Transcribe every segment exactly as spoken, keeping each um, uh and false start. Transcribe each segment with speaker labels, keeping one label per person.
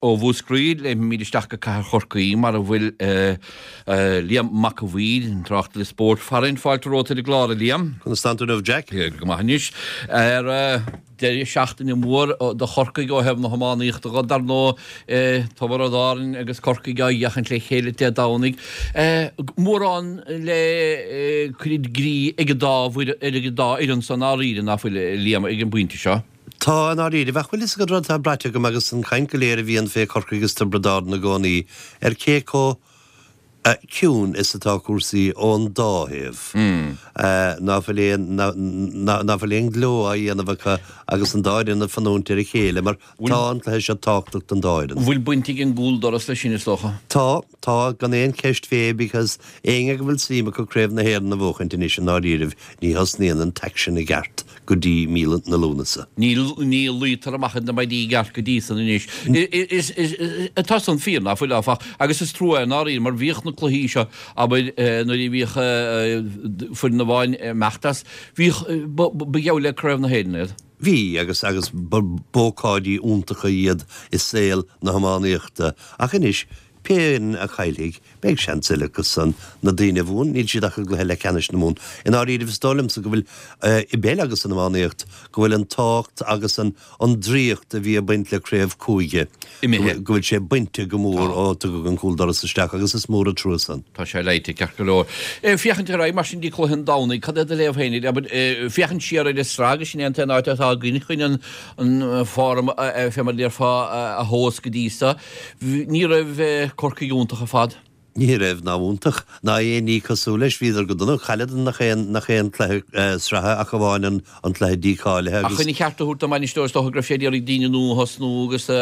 Speaker 1: Ó Mhúscraí, léimfimid isteach go Cathair Chorcaí mar a bhfuil Liam Mac a' Bhaoir, an tráchtaire spóirt farainn. Fáilte romhat ar an gclár, a Liam.
Speaker 2: Conas tánn tú inniu, Jack?
Speaker 1: Go maith anois. Ar deireadh seachtaine mór do Chorcaigh ó thaobh na hiománaíochta de, dar ndóigh, Tiobraid Árann agus Corcaigh á sheachaint le chéile Dé Domhnaigh. Mórán le cur i gcrích ag an dá fhoireann san ndáiríre, ná fuil, a Liam, ag an bpointe seo?
Speaker 2: Tá, i ndáiríre. Ach bhfuil fhios agat rud atá braite agam agus an chaint go léir a bhíonn fé Chorcaigh is Tiobraid Árann i gcónaí ar cé chomh ciúin is atá cúrsaí ón dá thaobh. Ná fuil aon, ná fuil aon ghleo á dhéanamh acu agus an dá fhoireann ag fanúint ar a chéile mar tá an cluiche seo tábhachtach don dá fhoireann.
Speaker 1: Bhfuil baint ag an gcúldoras leis sin, is dócha?
Speaker 2: Tá. Tá, gan aon cheist fé because éinne go bhfuil suim acu Craobh na hÉireann a bhuachaint anois i ndáiríribh ní thosnaíonn an t-aicsean i gceart go dtí mí na Lúnasa.
Speaker 1: Ní ní luítear amach ar na maidí i gceart go dtí san anois. Is is tá san fíor ná fuil áfach agus is trua é i ndáiríre mar bhíodh na cluichí seo abair nuair a bhíodh foireann amháin ag imeacht as bhíodh ba gheall le Craobh na hÉireann iad.
Speaker 2: Bhí agus agus b'ócáidí iontacha iad i saol na hiománaíochta ach anois Pé fhoireann a chaillfidh, beidh seans eile acu san. Na daoine a bhuann, níl siad ach i gcluiche leathcheannais na Mumhan. I ndáiríribh, is dóigh liomsa go bhfuil, i bpeil agus san iománaíocht, go bhfuil an tábhacht agus an an draíocht a bhí ag baint le craobh cúige,
Speaker 1: Imithe.
Speaker 2: go bhfuil sé bainte go mór ó tugadh an cúldoras isteach agus is mór an trua san.
Speaker 1: Tá sé leite ceart go leor. Féachaint ar aghaidh mar sin dtí cluiche an Domhnaigh, cad é do léamh féin air? Abair, féachaint siar ar an sraith agus sin é an t-aon áit atá againn chun an an form fé mar a déarfá a thomhas go dtí so. Ní raibh Corcaigh iontach ar fad.
Speaker 2: Ní raibh ná iontach, ná aon ní cosúil leis. Bhíodar go dona. Chailleadar nach aon, nach aon cluiche sraithe ach amháin an, an cluiche dícháilithe
Speaker 1: Ach
Speaker 2: agus.
Speaker 1: chun a cheart a thabhairt don mbainisteoir is dócha go raibh sé ag iarraidh daoine nua a thosnú agus a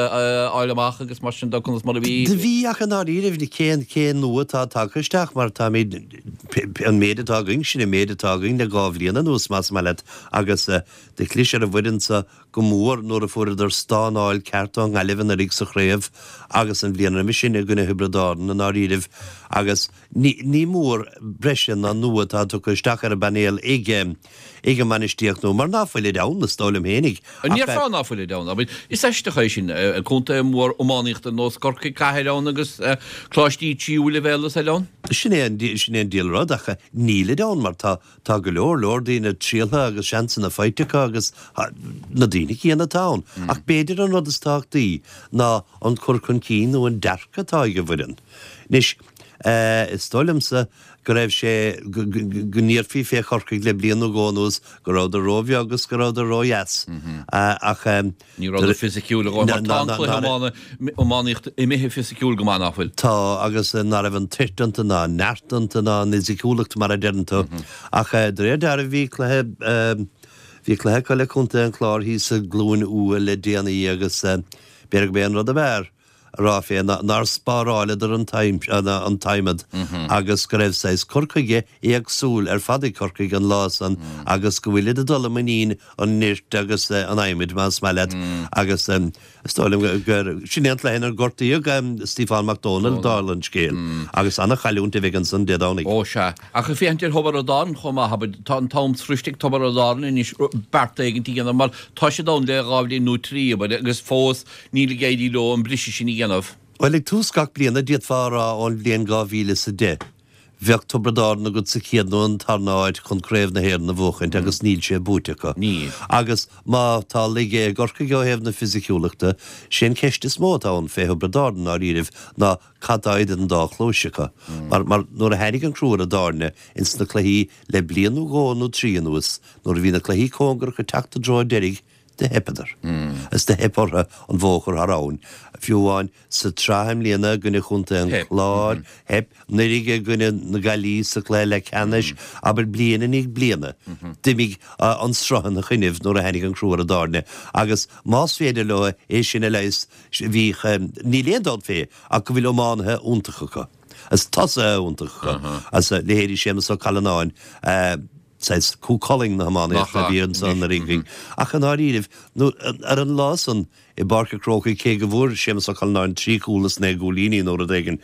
Speaker 1: fháil amach agus mar sin de conas mar a bhí.
Speaker 2: Do bhí ach i ndáiríribh cén, cén nua atá tagtha isteach mar táimid, an méid atá againn, sin an méid atá againn le dhá bhliain anuas más maith leat agus do chlis ar an bhfoireann so go mór nuair a fuaireadar stánáil ceart ón nGaillimh anuraidh sa chraobh agus an bhliain roimhe sin i gcoinne Thiobraid Árann i ndáiríribh agus ní ní mór breise ná nua atá tugtha isteach ar an bpainéal ag ag an mbainistíocht nua mar ná fuilid ann is dóigh liom fhéinig
Speaker 1: An
Speaker 2: ach
Speaker 1: ndéarfá ná fuilid ann? Abair, is aisteach é sin, contae mór iománaíochta ar nós Corcaigh, cathair ann agus coláistí tríú leibhéal is eile ann.
Speaker 2: Sin é an sin é an diabhal rud ach nílid ann mar tá Tá go leor leor daoine trialtha agus seansanna faighte acu agus na daoine céanna atá ann. Ach b'fhéidir an rud is tábhachtaí ná an cur chun cinn nó an dearcadh atá ag an bhfoireann. Anois, is dóigh liomsa go raibh sé, go ndéarfaí fé Chorcaigh le bliain nó dhó anuas go rabhadar róbheag agus go rabhadar ródheas. Ach.
Speaker 1: Ní rabhadar fisiciúil a dhóthain mar tá an cluiche iománaíochta imithe fisiciúil go maith, ná fuil?
Speaker 2: Tá, agus ná raibh an toirt iontu ná an neart iontu ná an fhisiciúlacht mar a deireann tú. Ach de réir dealraimh bhí cluiche, bhí cluiche acu le Contae an Chláir thíos i gCluain Umha le déanaí agus b'fhéidir gurb é an rud ab fhearr a rá fé ná nár spáráileadar an t-adhmad agus go raibh saghas cur chuige éagsúil ar fad ag Corcaigh an lá san agus go bhfuilid ag dul i muinín an nirt agus an adhmaid más maith leat agus is dóigh liom gur sin é an cluiche inar gortaíodh Stiofán Mac Dónaill dála an scéil agus ana-chailliúint a bheidh ansan Dé Domhnaigh.
Speaker 1: Ó sea. Ach ag féachaint ar Thiobraid Árann chomh maith, abair, tá an t-am sroiste ag Tiobraid Árann anois beart éigint a dhéanamh mar tá siad ann le dhá bhliain nó trí, abair, agus fós níl ag éirí leo an briseadh sin a dhéanamh.
Speaker 2: Bhuel, ag tús gach bliana, d'fhéadfá a rá ón bhliain dhá mhíle is a deich, bheadh Tiobraid Árann agat sa chéad nó an tarna háit chun Craobh na hÉireann a bhuachaint agus níl sé buaite acu.
Speaker 1: Níl.
Speaker 2: Agus má tá laige i gCorcaigh ó thaobh na fisiciúlachta, sé an cheist is mó atá ann fé Thiobraid Árann i ndáiríribh ná cad tá idir an dá chluais acu. Mar, mar nuair a tháinig an crú ar an dtairne ins na cluichí le bliain nó dhó nó trí anuas, nuair a bhí na cluichí cóngarach ag teacht i dtreo an deiridh, do theipeadar. Is do theip orthu an bhó a chur thar abhainn. Fiú amháin sa tsraith i mbliana i gcoinne Chontae an Chláir, theip, anuraidh i gcoinne na Gaillimhe sa chluiche leathcheannais, abair bliain i ndiaidh bliana, d'imigh an sruth ina choinnibh nuair a tháinig an crú ar an dtairne. Agus más féidir leo é sin a leigheas, bhíodh, níl aon dabht fé ach go bhfuil iománaithe iontacha acu. Is tosaithe iontacha acu. As leithéidí Séamus Ó Callanáin, saghas Cú Chulainn na hiománaíochta a bhí ansan anuraidh againn. Ach i ndáiríribh, nó ar an lá san i bPáirc an Chrócaigh, cé go bhfuair Séamus Ó Callanáin trí chúl is naoi gcúilíní nó rud éigin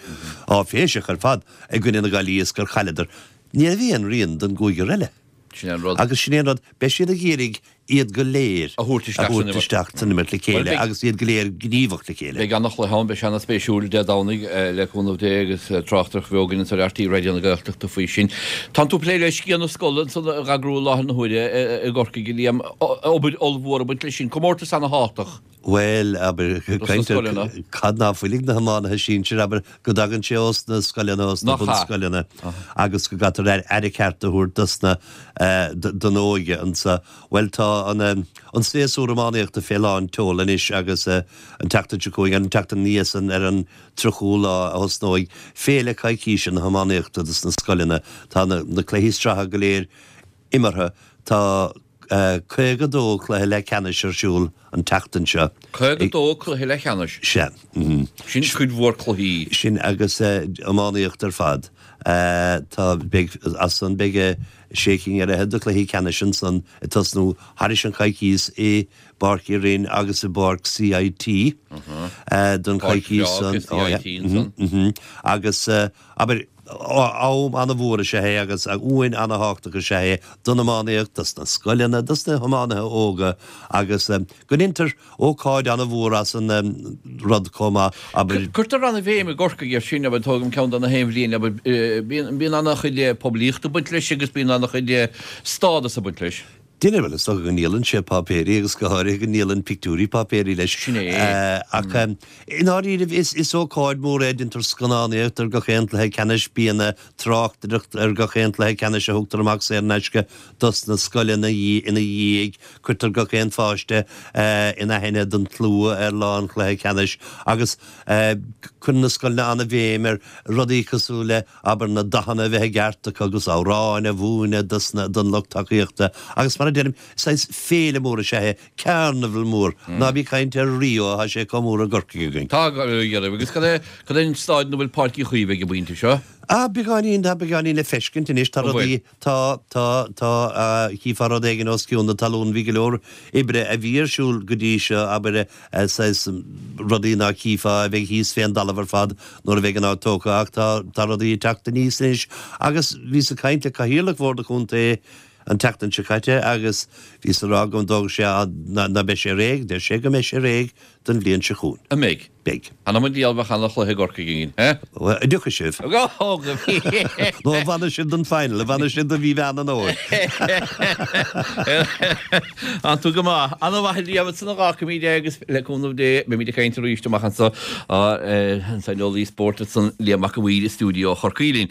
Speaker 2: áiféiseach ar fad i gcoinne na Gaillimhe is gur chailleadar, ní raibh aon rian den gcúigear eile.
Speaker 1: Sin é an rud.
Speaker 2: Agus sin é an rud, beidh siad ag iarraidh iad go léir
Speaker 1: A thabhairt isteach san imirt.
Speaker 2: isteach san imirt le chéile
Speaker 1: Bhuel, beidh-
Speaker 2: agus iad go léir gníomhach le chéile.
Speaker 1: Beidh an-chluiche ann, beidh sé ana-spéisiúil Dé Domhnaigh le cúnamh Dé agus tráchtaireacht bheo againn anso ar RTÉ Raidió na Gaeltachta faoi sin. Tánn tú ag plé le sciath na scoile ansan á eagrú i láthair na huaire i gCorcaigh, a Liam. Obair ollmhór ag baint leis sin, comórtas ana-thábhachtach.
Speaker 2: Bhuel, abair,
Speaker 1: Dos na scoileanna.
Speaker 2: cad ná fuil ag na hiománaithe sinsir, abair, go dtagann sé ós na scoileanna, ós na
Speaker 1: Nach ea?
Speaker 2: bunscoileanna, agus go gcaithfear aire ceart a thabhairt dos na, eh, d- don óige anso. Bhuel, tá an, eh, an séasúr iománaíochta fé lán tseoil anois agus eh, an tseachtain seo chugainn, an tseachtain ina dhiaidh san ar an tríochú lá a thosnóidh féile coicíse na hiománaíochta dos na scoileanna. Tá na, na cluichí sraithe go léir imeartha. Tá eh, caoga dó cluiche leathcheannais ar siúl an tseachtain seo.
Speaker 1: Caoga dó cluiche leathcheannais.
Speaker 2: Sea. mhm.
Speaker 1: Sin cuid mhór cluichí.
Speaker 2: Sin agus uh, iománaíocht ar fad. Uh, tá beidh as san beidh eh, sé cinn ar fhichead de chluichí ceannais ansan ag tosnú thairis an choicís i bPáirc Uí Rinn agus i bPáirc CIT uh, don
Speaker 1: Páirc
Speaker 2: choicís
Speaker 1: bhreá
Speaker 2: san.
Speaker 1: CIT
Speaker 2: Oh, yeah.
Speaker 1: ansan.
Speaker 2: Mhm, mhm. Agus uh, abair am an-mhór is ea é agus a uain an-thábhachtach is ea é don iománaíocht, dos na scoileanna, dos na hiománaithe óga agus um, go ndéantar ócáid an-mhór as an um, rud chomh maith abair
Speaker 1: Cuirtear an-bhéim i gCorcaigh air sin abair tógaim ceann de na haon bhliain abair bíonn bíonn an-chuid poiblíochta ag baint leis agus bíonn an-chuid stádas ag baint leis.
Speaker 2: Duine bhfuil is go ndíolann sé páipéirí agus go háirithe go ndíolann pictiúirí páipéirí leis.
Speaker 1: Sin é.
Speaker 2: Eh, ach um, i ndáiríribh is is ócáid mór é déantar scannánaíocht ar gach aon chluiche ceannais bíonn tráchtaireacht ar gach aon chluiche ceannais a thugtar amach saor in aisce dos na scoileanna ina dhiaidh, cuirtear gach aon pháiste uh, in aithne don tslua ar lá an chluiche ceannais agus uh, cuireann na scoileanna an-bhéim ar rudaí cosúil le abair na dathanna bheith i gceart acu agus amhráin a mhúineadh dos na don lucht tacaíochta agus mar a deirim saghas féile mór is ea é carnival mór ná bí caint ar Rio tá sé chomh mór i gCorcaigh againn.
Speaker 1: Tá dhearh agus cad é cad é an staid ina bhfuil Páirc Uí Chaoimh ag an bpointe seo.
Speaker 2: Ah beagáinín tá beagáinín le feiscint anois tá
Speaker 1: An bhfuil?
Speaker 2: rudaí tá tá tá chífeá rud éigin os cionn na talún bhí go leor oibre a bhí ar siúl go dtí seo abair saghas rudaí ná chífeá a bheidh thíos fén dtalamh ar fad nuair a bheidh an áit tógtha ach tá tá rudaí ag teacht aníos anois agus bhíos ag caint le cathaoirleach Bhord an Chontae an tseachtain seo caite agus bhíos ag rá go dtógfaidh sé ná ná beidh sé réidh, deir sé go mbeidh sé réidh don bhliain seo chugainn.
Speaker 1: An mbeidh.
Speaker 2: Beidh.
Speaker 1: Anna mu díal bheith an chluiche Gorcaigh gin, eh?
Speaker 2: Well, a dtiocfaidh sibh.
Speaker 1: Go go
Speaker 2: Nó a bhfanfaidh sibh don final, a bhfanfaidh sibh do mhí Mheán an Fhómhair.
Speaker 1: An tú go maith an-mhaith Liam san gácamí agus le cúnamh Dé beimid ag caint arís amach anseo an saineolaí spóirt san Liam Mac a' Mhaoir i stiúideo Chorcaí linn.